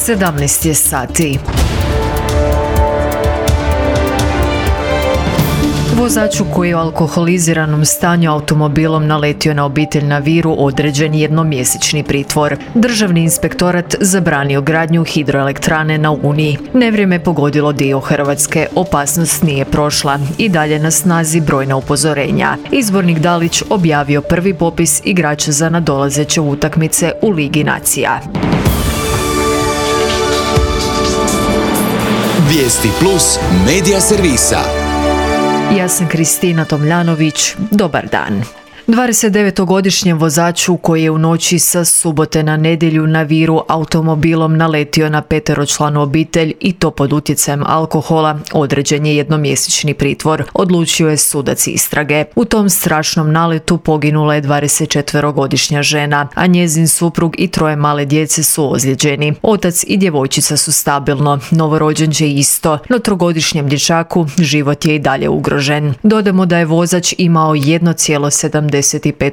17 je sati. Vozaču koji je u alkoholiziranom stanju automobilom naletio na obitelj na Viru određen jednomjesečni pritvor. Državni inspektorat zabranio gradnju hidroelektrane na Uniji. Nevrijeme pogodilo dio Hrvatske, opasnost nije prošla i dalje na snazi brojna upozorenja. Izbornik Dalić objavio prvi popis igrača za nadolazeće utakmice u Ligi nacija. Vijesti plus medija servisa. Ja sam Kristina Tomljanović. Dobar dan. 29-godišnjem vozaču koji je u noći sa subote na nedjelju na Viru automobilom naletio na peteročlanu obitelj i to pod utjecajem alkohola određen je jednomjesečni pritvor, odlučio je sudac istrage. U tom strašnom naletu poginula je 24-godišnja žena, a njezin suprug i 3 male djece su ozlijeđeni. Otac i djevojčica su stabilno, novorođenče isto, no 3-godišnjem dječaku život je i dalje ugrožen. Dodamo da je vozač imao 1,75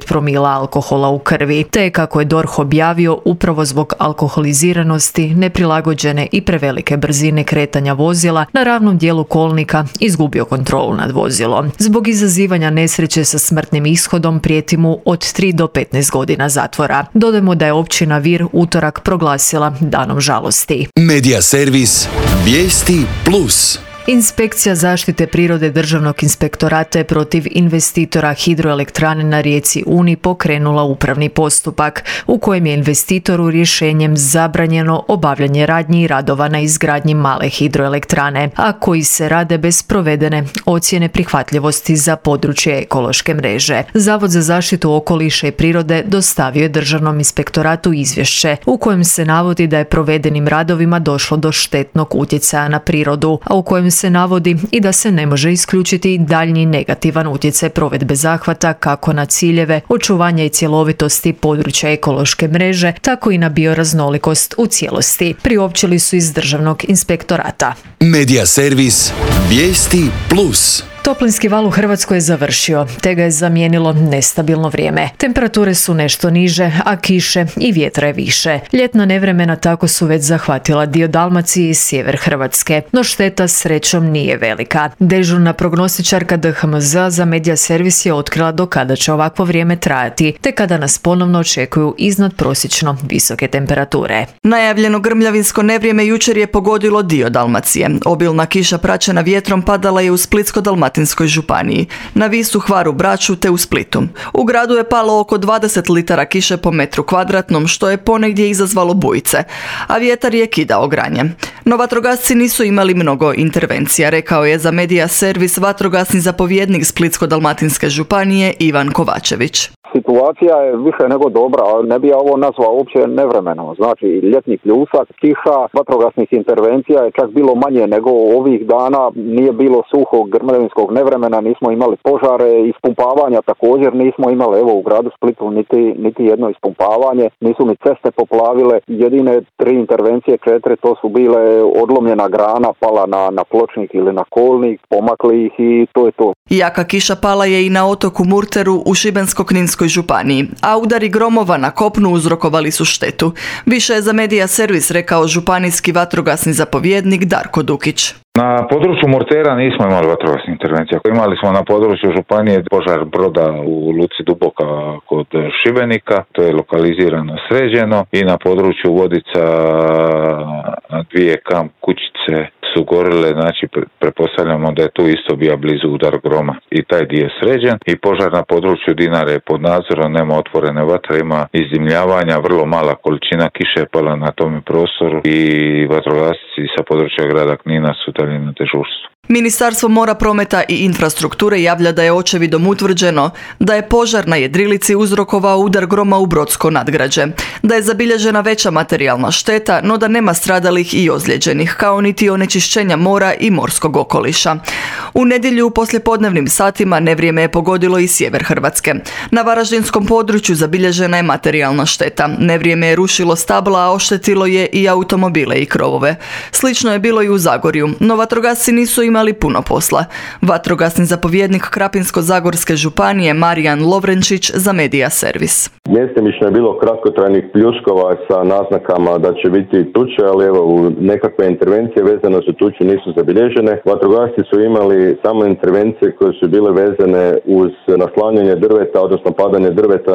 promila alkohola u krvi, te kako je DORH objavio upravo zbog alkoholiziranosti, neprilagođene i prevelike brzine kretanja vozila na ravnom dijelu kolnika izgubio kontrolu nad vozilom. Zbog izazivanja nesreće sa smrtnim ishodom prijeti mu od 3 do 15 godina zatvora. Dodajmo da je općina Vir utorak proglasila danom žalosti. Medija servis Vijesti plus. Inspekcija zaštite prirode Državnog inspektorata je protiv investitora hidroelektrane na rijeci Uni pokrenula upravni postupak u kojem je investitoru rješenjem zabranjeno obavljanje radnji i radova na izgradnji male hidroelektrane, a koji se rade bez provedene ocjene prihvatljivosti za područje ekološke mreže. Zavod za zaštitu okoliša i prirode dostavio je Državnom inspektoratu izvješće u kojem se navodi da je provedenim radovima došlo do štetnog utjecaja na prirodu, a u kojem se navodi i da se ne može isključiti daljnji negativan utjecaj provedbe zahvata kako na ciljeve očuvanja i cjelovitosti područja ekološke mreže, tako i na bioraznolikost u cijelosti, priopćili su iz Državnog inspektorata. Medija servis Vijesti plus. Toplinski val u Hrvatskoj je završio, te ga je zamijenilo nestabilno vrijeme. Temperature su nešto niže, a kiše i vjetra je više. Ljetna nevremena tako su već zahvatila dio Dalmacije i sjever Hrvatske, no šteta srećom nije velika. Dežurna prognostičarka DHMZ za medija servis je otkrila do kada će ovakvo vrijeme trajati, te kada nas ponovno očekuju iznadprosječno visoke temperature. Najavljeno grmljavinsko nevrijeme jučer je pogodilo dio Dalmacije. Obilna kiša praćena vjetrom padala je u Splitsko-dalmatinskoj županiji, na Visu, Hvaru, Braču te u Splitu. U gradu je palo oko 20 litara kiše po metru kvadratnom, što je ponegdje izazvalo bujice, a vjetar je kidao granje. No vatrogasci nisu imali mnogo intervencija, rekao je za medija servis vatrogasni zapovjednik Splitsko-dalmatinske županije Ivan Kovačević. Situacija je više nego dobra, ali ne bi ja ovo nazvao uopće nevremeno. Znači, ljetni pljusak, kiša, vatrogasnih intervencija je čak bilo manje nego ovih dana. Nije bilo suhog grmljavinskog nevremena, nismo imali požare, ispumpavanja također nismo imali. Evo, u gradu Splitu niti jedno ispumpavanje, nisu ni ceste poplavile. Jedine 3 intervencije, 4, to su bile odlomljena grana, pala na pločnik ili na kolnik, pomakli ih i to je to. Jaka kiša pala je i na otoku Murteru u Šibensko-kninskoj županiji, a udari gromova na kopnu uzrokovali su štetu. Više je za medija servis rekao županijski vatrogasni zapovjednik Darko Dukić. Na području Murtera nismo imali vatrogasnih intervencija. Imali smo na području županije požar broda u luci Duboka kod Šibenika, to je lokalizirano, sređeno, i na području Vodica 2 kamp kućice su gorile, znači pretpostavljamo da je tu isto bio blizu udar groma i taj dio sređen. I požar na području Dinare je pod nadzorom, nema otvorene vatre, ima izdimljavanja, vrlo mala količina kiše je pala na tome prostoru i vatrogasci sa područja grada Knina su dalje na dežurstvu. Ministarstvo mora, prometa i infrastrukture javlja da je očevidom utvrđeno da je požar na jedrilici uzrokovao udar groma u Brodsko nadgrađe, da je zabilježena veća materijalna šteta, no da nema stradalih i ozlijeđenih, kao niti onečišćenja mora i morskog okoliša. U nedjelju u poslijepodnevnim satima nevrijeme je pogodilo i sjever Hrvatske. Na varaždinskom području zabilježena je materijalna šteta. Nevrijeme je rušilo stabla, a oštetilo je i automobile i krovove. Slično je bilo i u Zagorju, no vatrogasci nisu imali imali puno posla. Vatrogasni zapovjednik Krapinsko-zagorske županije Marijan Lovrenčić za Medija servis. Mjestimično je bilo kratkotrajnih pljuskova sa naznakama da će biti tuče, ali evo u nekakve intervencije vezane za tuču nisu zabilježene. Vatrogasci su imali samo intervencije koje su bile vezane uz naslanjanje drveta, odnosno padanje drveta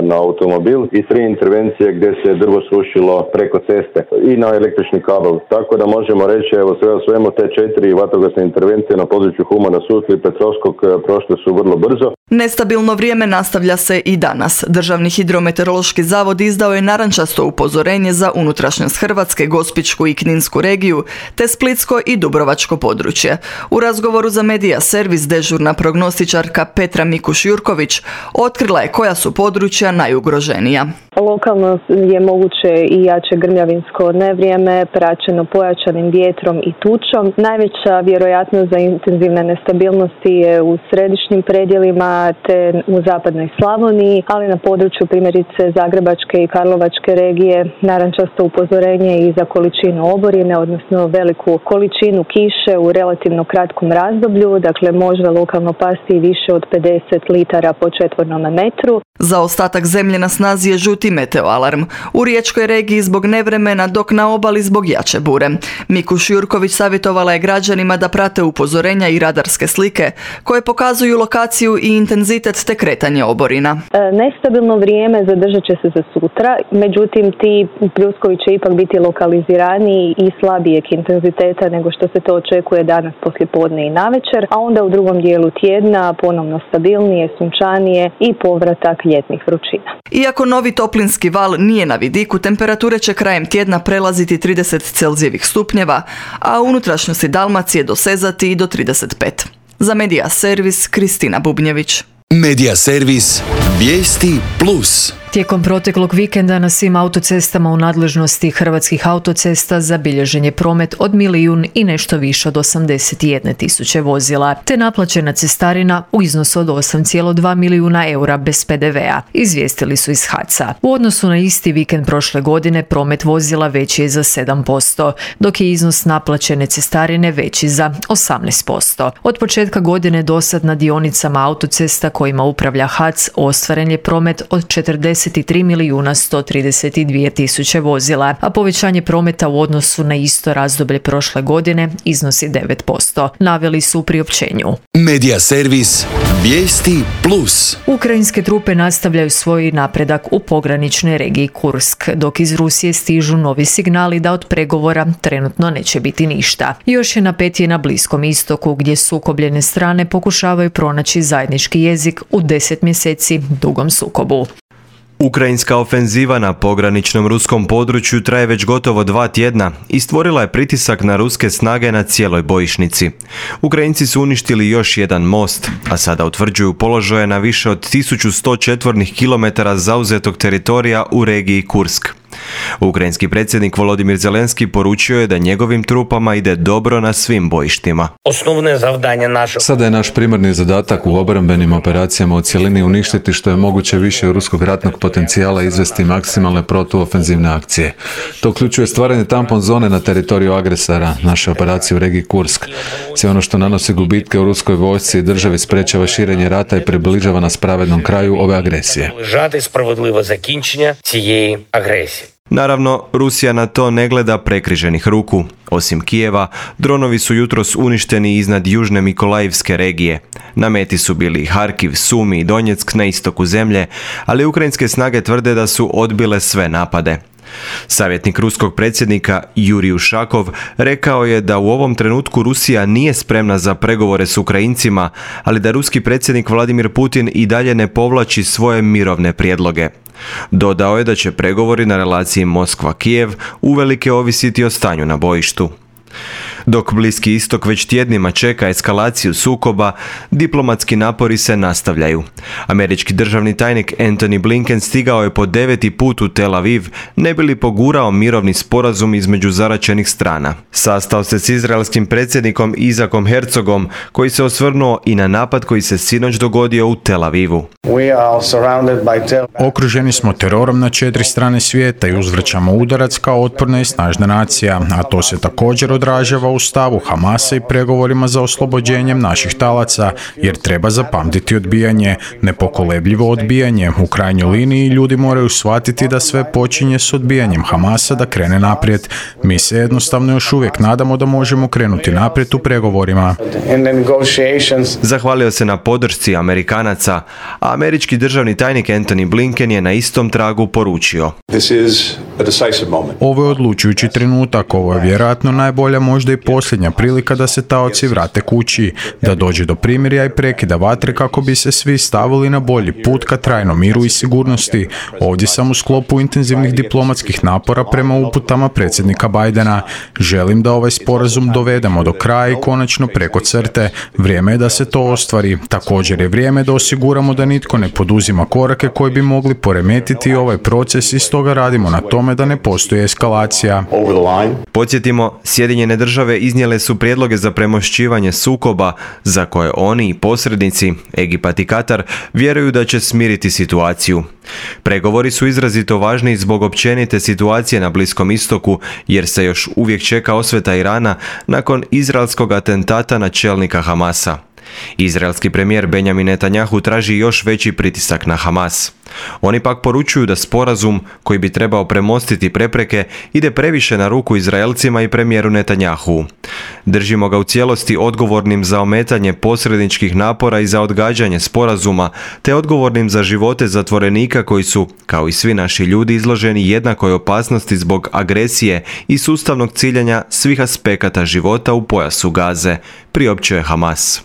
na automobil i 3 intervencije gdje se drvo srušilo preko ceste i na električni kabel. Tako da možemo reći, evo sve o svemu, te 4 vatrogasne intervencije na području Humana, Sutli i Petrovskog prošle su vrlo brzo. Nestabilno vrijeme nastavlja se i danas. Državni hidrometeorološki zavod izdao je narančasto upozorenje za unutrašnjost Hrvatske, Gospićku i Kninsku regiju, te Splitsko i Dubrovačko područje. U razgovoru za Medija servis dežurna prognostičarka Petra Mikuš-Jurković otkrila je koja su područja najugroženija. Lokalno je moguće i jače grmljavinsko nevrijeme praćeno pojačanim vjetrom i tučom. Najveća vjerojatnost za intenzivne nestabilnosti je u središnjim predjelima te u zapadnoj Slavoniji, ali na području primjerice Zagrebačke i Karlovačke regije narančasto upozorenje i za količinu oborine, odnosno veliku količinu kiše u relativno kratkom razdoblju, dakle može lokalno pasti i više od 50 litara po četvornom metru. Za ostatak zemlje na snazi je žuti meteoalarm. U Riječkoj regiji zbog nevremena, dok na obali zbog jače bure. Mikuš Jurković savjetovala je građanima da prate upozorenja i radarske slike koje pokazuju lokaciju i intenzitet te kretanje oborina. Nestabilno vrijeme zadržat će se za sutra, međutim ti pljuskovi će ipak biti lokaliziraniji i slabijeg intenziteta nego što se to očekuje danas poslijepodne i navečer, a onda u drugom dijelu tjedna ponovno stabilnije, sunčanije i povratak ljetnih vrućina. Iako novi toplinski val nije na vidiku, temperature će krajem tjedna prelaziti 30 Celzijevih stupnjeva, a u unutrašnjosti Dalmacije dosezati i do 35. Za Medija servis Kristina Bubnjević. Medija servis Vijesti Plus. Tijekom proteklog vikenda na svim autocestama u nadležnosti Hrvatskih autocesta zabilježen je promet od 1.000.000 i nešto više od 81.000 vozila, te naplaćena cestarina u iznosu od 8,2 milijuna eura bez PDV-a, izvijestili su iz HAC-a. U odnosu na isti vikend prošle godine promet vozila veći je za 7%, dok je iznos naplaćene cestarine veći za 18%. Od početka godine dosad na dionicama autocesta kojima upravlja HAC ostvaren je promet od 43.132.000 vozila, a povećanje prometa u odnosu na isto razdoblje prošle godine iznosi 9%, naveli su u priopćenju. Medija servis Vijesti Plus. Ukrajinske trupe nastavljaju svoj napredak u pograničnoj regiji Kursk, dok iz Rusije stižu novi signali da od pregovora trenutno neće biti ništa. Još je napetije na Bliskom istoku, gdje sukobljene strane pokušavaju pronaći zajednički jezik u 10 mjeseci dugom sukobu. Ukrajinska ofenziva na pograničnom ruskom području traje već gotovo 2 tjedna i stvorila je pritisak na ruske snage na cijeloj bojišnici. Ukrajinci su uništili još jedan most, a sada utvrđuju položaje na više od 1100 četvornih kilometara zauzetog teritorija u regiji Kursk. Ukrajinski predsjednik Volodimir Zelenski poručio je da njegovim trupama ide dobro na svim bojištima. Sada je naš primarni zadatak u obrambenim operacijama u cjelini uništiti što je moguće više ruskog ratnog potencijala i izvesti maksimalne protuofenzivne akcije. To uključuje stvaranje tampon zone na teritoriju agresora, naše operacije u regiji Kursk. Sve ono što nanosi gubitke u ruskoj vojsci i državi sprečava širenje rata i približava nas pravednom kraju ove agresije. Naravno, Rusija na to ne gleda prekriženih ruku. Osim Kijeva, dronovi su jutros uništeni iznad južne Mikolajivske regije. Na meti su bili Harkiv, Sumi i Donjeck na istoku zemlje, ali ukrajinske snage tvrde da su odbile sve napade. Savjetnik ruskog predsjednika Jurij Ušakov rekao je da u ovom trenutku Rusija nije spremna za pregovore s Ukrajincima, ali da ruski predsjednik Vladimir Putin i dalje ne povlači svoje mirovne prijedloge. Dodao je da će pregovori na relaciji Moskva-Kijev uvelike ovisiti o stanju na bojištu. Dok Bliski istok već tjednima čeka eskalaciju sukoba, diplomatski napori se nastavljaju. Američki državni tajnik Antony Blinken stigao je po 9. put u Tel Aviv, ne bi li pogurao mirovni sporazum između zaraćenih strana. Sastao se s izraelskim predsjednikom Isakom Herzogom, koji se osvrnuo i na napad koji se sinoć dogodio u Tel Avivu. Okruženi smo terorom na 4 strane svijeta i uzvraćamo udarac kao otporna i snažna nacija, a to se također odražava u stavu Hamasa i pregovorima za oslobođenjem naših talaca, jer treba zapamtiti odbijanje, nepokolebljivo odbijanje. U krajnjoj liniji ljudi moraju shvatiti da sve počinje s odbijanjem Hamasa da krene naprijed. Mi se jednostavno još uvijek nadamo da možemo krenuti naprijed u pregovorima. Zahvalio se na podršci Amerikanaca, a američki državni tajnik Antony Blinken je na istom tragu poručio: Ovo je odlučujući trenutak, ovo je vjerojatno najbolja, možda i posljednja prilika da se taoci vrate kući, da dođe do primirja i prekida vatre kako bi se svi stavili na bolji put ka trajnom miru i sigurnosti. Ovdje sam u sklopu intenzivnih diplomatskih napora prema uputama predsjednika Bidena. Želim da ovaj sporazum dovedemo do kraja i konačno preko crte. Vrijeme je da se to ostvari. Također je vrijeme da osiguramo da nitko ne poduzima korake koji bi mogli poremetiti ovaj proces i stoga radimo na tome da ne postoji eskalacija. Podsjetimo, Sjedinjene države iznijele su prijedloge za premošćivanje sukoba za koje oni i posrednici, Egipat i Katar, vjeruju da će smiriti situaciju. Pregovori su izrazito važni zbog općenite situacije na Bliskom istoku, jer se još uvijek čeka osveta Irana nakon izraelskog atentata na čelnika Hamasa. Izraelski premijer Benjamin Netanjahu traži još veći pritisak na Hamas. Oni pak poručuju da sporazum, koji bi trebao premostiti prepreke, ide previše na ruku Izraelcima i premijeru Netanjahu. Držimo ga u cijelosti odgovornim za ometanje posredničkih napora i za odgađanje sporazuma, te odgovornim za živote zatvorenika koji su, kao i svi naši ljudi, izloženi jednakoj opasnosti zbog agresije i sustavnog ciljanja svih aspekata života u pojasu Gaze, priopćuje Hamas.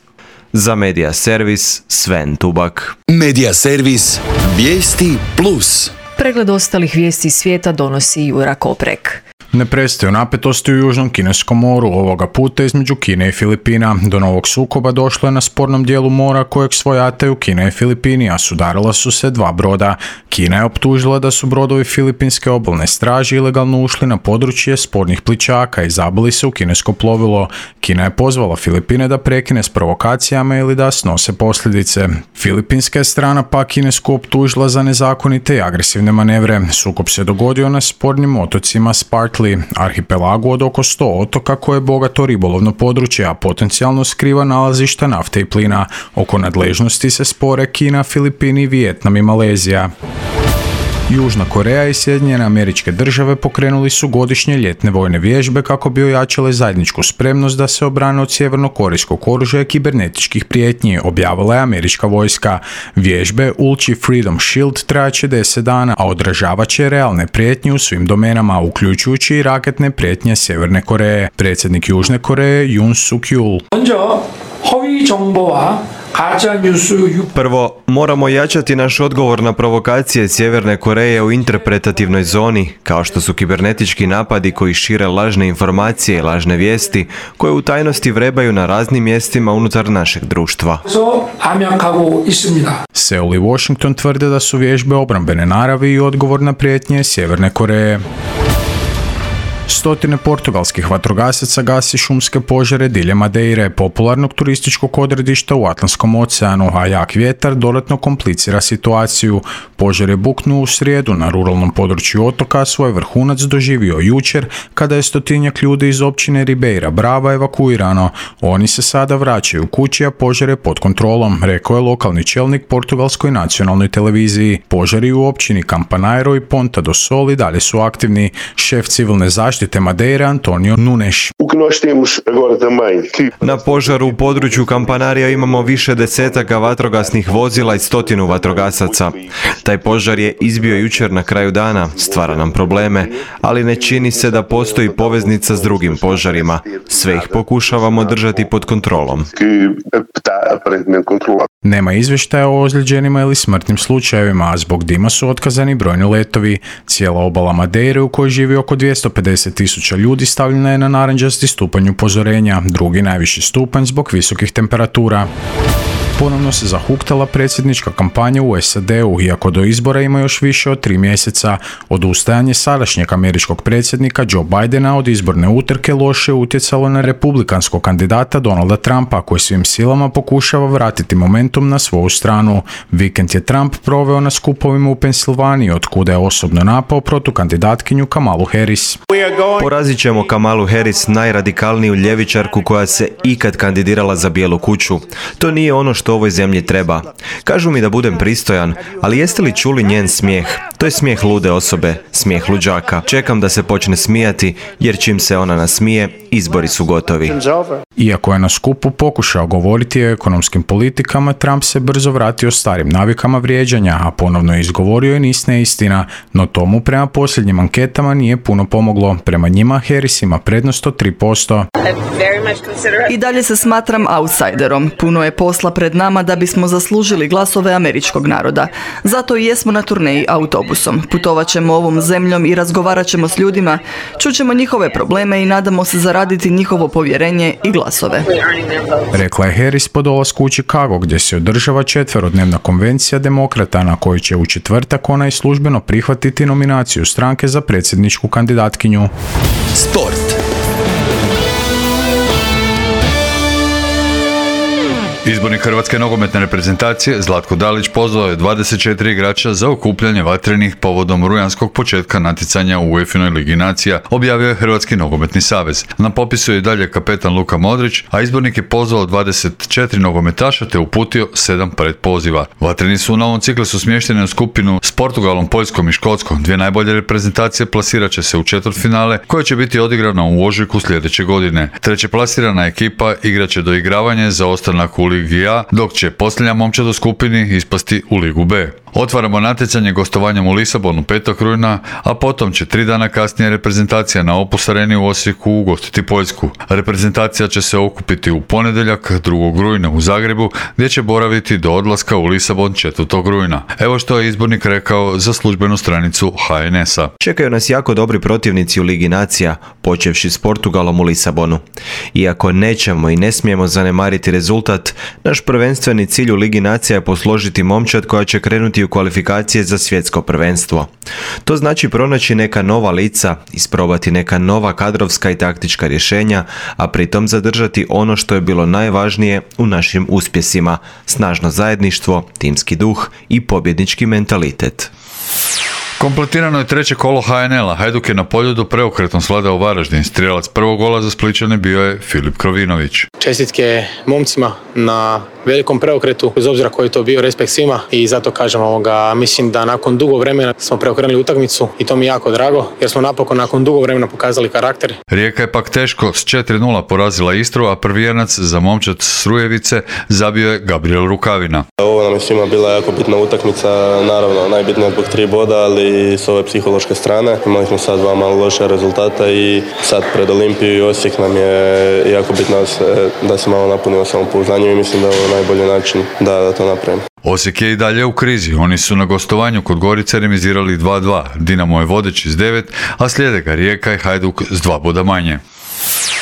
Za Medija Servis, Sven Tubak. Medija Servis, vijesti plus. Pregled ostalih vijesti svijeta donosi Jura Koprek. Ne prestaju napetosti u Južnom Kineskom moru, ovoga puta između Kine i Filipina. Do novog sukoba došlo je na spornom dijelu mora kojeg svojataju Kina i Filipini, a sudarila su se dva broda. Kina je optužila da su brodovi Filipinske obalne straže ilegalno ušli na područje spornih plićaka i zabili se u kinesko plovilo. Kina je pozvala Filipine da prekine s provokacijama ili da snose posljedice. Filipinska je strana pa Kinesku optužila za nezakonite i agresivne manevre. Sukob se dogodio na spornim otocima Spratly, arhipelagu od oko 100 otoka koje je bogato ribolovno područje, a potencijalno skriva nalazišta nafte i plina. Oko nadležnosti se spore Kina, Filipini, Vijetnam i Malezija. Južna Koreja i Sjedinjene Američke Države pokrenuli su godišnje ljetne vojne vježbe kako bi ojačale zajedničku spremnost da se obrane od sjevernokorejskog oružja i kibernetičkih prijetnji, objavila je američka vojska. Vježbe Ulchi Freedom Shield trajaće 10 dana, a odražavat će realne prijetnje u svim domenama, uključujući i raketne prijetnje Sjeverne Koreje. Predsjednik Južne Koreje Yoon Suk-yeol. Prvo, moramo jačati naš odgovor na provokacije Sjeverne Koreje u interpretativnoj zoni, kao što su kibernetički napadi koji šire lažne informacije i lažne vijesti, koje u tajnosti vrebaju na raznim mjestima unutar našeg društva. Seul i Washington tvrde da su vježbe obrambene naravi i odgovor na prijetnje Sjeverne Koreje. Stotine portugalskih vatrogasaca gasi šumske požare diljem Madeire, popularnog turističkog odredišta u Atlantskom oceanu, a jak vjetar dodatno komplicira situaciju. Požar je buknuo u srijedu na ruralnom području otoka, svoj vrhunac doživio jučer kada je 100-tinjak ljudi iz općine Ribeira Brava evakuirano. Oni se sada vraćaju kući, a požar je pod kontrolom, rekao je lokalni čelnik Portugalskoj nacionalnoj televiziji. Požari u općini Campanairo i Ponta do Sol i dalje su aktivni. Šef civilne zaštite Madeire Antonio Nunes. Na požaru u području Campanarija imamo više desetaka vatrogasnih vozila i 100 vatrogasaca. Taj požar je izbio jučer na kraju dana, stvara nam probleme, ali ne čini se da postoji poveznica s drugim požarima. Sve ih pokušavamo držati pod kontrolom. Nema izvještaja o ozlijeđenima ili smrtnim slučajevima, a zbog dima su otkazani brojni letovi. Cijela obala Madeire, u kojoj živi oko 250.000 ljudi, stavljena je na narančasti stupanj upozorenja, drugi najviši stupanj zbog visokih temperatura. ponovno se zahuktala predsjednička kampanja u SAD-u, iako do izbora ima još više od 3 mjeseca. Odustajanje sadašnjeg američkog predsjednika Joe Bidena od izborne utrke loše utjecalo na republikanskog kandidata Donalda Trumpa, koji svim silama pokušava vratiti momentum na svoju stranu. Vikend je Trump proveo na skupovima u Pensilvaniji, od kuda je osobno napao protukandidatkinju Kamalu Harris. Porazit ćemo Kamalu Harris, najradikalniju ljevičarku koja se ikad kandidirala za Bijelu kuću. To nije ono što ovoj zemlji treba. Kažu mi da budem pristojan, ali jeste li čuli njen smijeh? To je smijeh lude osobe, smijeh luđaka. Čekam da se počne smijati, jer čim se ona nasmije, izbori su gotovi. Iako je na skupu pokušao govoriti o ekonomskim politikama, Trump se brzo vratio starim navikama vrijeđanja, a ponovno je izgovorio i niz neistina, no tomu prema posljednjim anketama nije puno pomoglo. Prema njima Harris ima prednost od 3%. I dalje se smatram outsiderom. Puno je posla pred nama da bismo zaslužili glasove američkog naroda. Zato i jesmo na turneji autobusom. Putovat ćemo ovom zemljom i razgovarat ćemo s ljudima, čućemo njihove probleme i nadamo se zaraditi njihovo povjerenje i glasove. Rekla je Harris po dolasku u Chicago, gdje se održava 4-dnevna konvencija demokrata, na kojoj će u četvrtak ona i službeno prihvatiti nominaciju stranke za predsjedničku kandidatkinju. Sport. Izbornik Hrvatske nogometne reprezentacije Zlatko Dalić pozvao je 24 igrača za okupljanje vatrenih povodom rujanskog početka natjecanja u UEFA-inoj Ligi nacija, objavio je Hrvatski nogometni savez. Na popisu je i dalje kapetan Luka Modrić, a izbornik je pozvao 24 nogometaša te uputio 7 predpoziva. Vatreni su u novom ciklusu smješteni u skupinu s Portugalom, Poljskom i Škotskom. Dvije najbolje reprezentacije plasirat će se u četvrtfinale, koje će biti odigrana u ožujku sljedeće godine. Treće plasirana ekipa igraće doigravanje za ostanak u Ligi A, dok će posljednja momčad u skupini ispasti u Ligu B. Otvaramo natjecanje gostovanjem u Lisabonu 5. rujna, a potom će 3 dana kasnije reprezentacija na Opus Areni u Osijeku ugostiti Poljsku. Reprezentacija će se okupiti u ponedjeljak 2. rujna u Zagrebu, gdje će boraviti do odlaska u Lisabon 4. rujna. Evo što je izbornik rekao za službenu stranicu HNS-a. Čekaju nas jako dobri protivnici u Ligi nacija, počevši s Portugalom u Lisabonu. Iako nećemo i ne smijemo zanemariti rezultat, naš prvenstveni cilj u Ligi nacija je posložiti momčad koja će krenuti u kvalifikacije za svjetsko prvenstvo. To znači pronaći neka nova lica, isprobati neka nova kadrovska i taktička rješenja, a pritom zadržati ono što je bilo najvažnije u našim uspjesima: snažno zajedništvo, timski duh i pobjednički mentalitet. Kompletirano je treće kolo HNL-a. Hajduk je na Poljudu preokretom svladao Varaždin. Strijelac prvog gola za Splićane bio je Filip Krovinović. Čestitke momcima na velikom preokretu, bez obzira koji je to bio, respekt svima, i zato kažem mislim da nakon dugo vremena smo preokrenuli utakmicu i to mi je jako drago, jer smo napokon nakon dugo vremena pokazali karakter. Rijeka je pak teško s 4-0 porazila Istru, a prvijenac za momčad Srujevice zabio je Gabriel Rukavina. Ovo nam je svima bila jako bitna utakmica, naravno najbitnija zbog 3 boda, ali s ove psihološke strane. Imali smo sad 2 malo loše rezultata i sad pred Olimpiju i Osijek nam je jako bitno da se malo napunimo samopouzdanje i mislim da je ovo najbolji način da to napravimo. Osijek je i dalje u krizi. Oni su na gostovanju kod Gorice remizirali 2-2. Dinamo je vodeći s 9, a slijede ga Rijeka i Hajduk s 2 boda manje.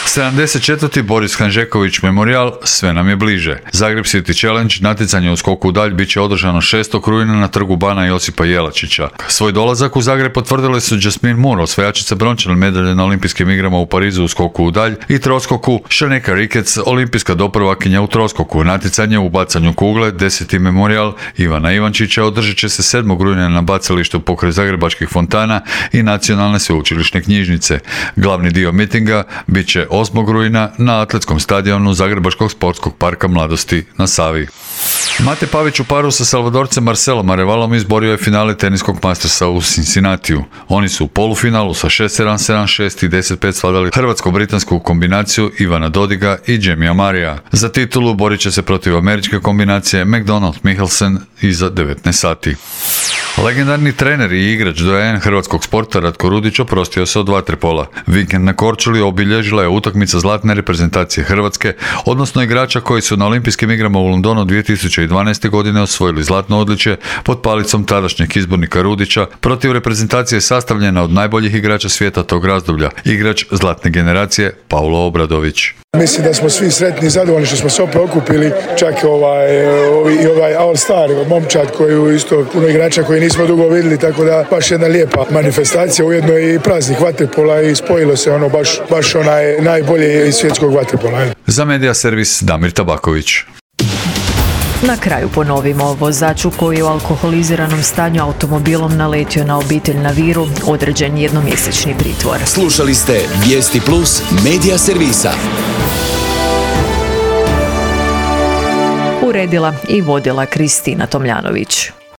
74. Boris Hanžeković Memorial sve nam je bliže. Zagreb City Challenge, natjecanje u skoku u dalj, bit će održano 6. rujna na trgu Bana Josipa Jelačića. Svoj dolazak u Zagreb potvrdile su Jasmine Moore, osvajačica brončane medalje na olimpijskim igrama u Parizu u skoku u dalj, i troskoku Šaneka Rikec, olimpijska doprvakinja u troskoku. Natjecanje u bacanju kugle, 10. Memorial Ivana Ivančića, održat će se 7. rujna na bacalištu pokraj Zagrebačkih fontana i Nacionalne sveučilišne knjižnice. Glavni dio mitinga bit će 8. rujna na atletskom stadionu Zagrebačkog sportskog parka Mladosti na Savi. Mate Pavić u paru sa Salvadorcem Marcelom Arevalom izborio je finale teniskog Mastersa u Cincinnatiju. Oni su u polufinalu sa 6-7, 7-6 i 10-5 svladali hrvatsko-britansku kombinaciju Ivana Dodiga i Jamia Marija. Za titulu borit će se protiv američke kombinacije McDonald-Michelsen iza 19 sati. Legendarni trener i igrač doajen hrvatskog sporta Ratko Rudić oprostio se od vaterpola. Vikend na Korčuli obilježila je utakmica zlatne reprezentacije Hrvatske, odnosno igrača koji su na olimpijskim igrama u Londonu 2012. godine osvojili zlatno odličje pod palicom tadašnjeg izbornika Rudića protiv reprezentacije sastavljena od najboljih igrača svijeta tog razdoblja, igrač zlatne generacije Paulo Obradović. Mislim da smo svi sretni i zadovoljni što smo se opet okupili, čak ovaj All Star momčad koju isto puno igrača koji nismo dugo vidjeli, tako da baš jedna lijepa manifestacija, ujedno i praznik vaterpola i spojilo se ono baš onaj najbolje iz svjetskog vaterpola. Za Medija servis Damir Tabaković. Na kraju ponovimo, vozaču koji je u alkoholiziranom stanju automobilom naletio na obitelj na Viru određen jednomjesečni pritvor. Slušali ste Vijesti Plus Medija servisa. Uredila i vodila Kristina Tomljanović.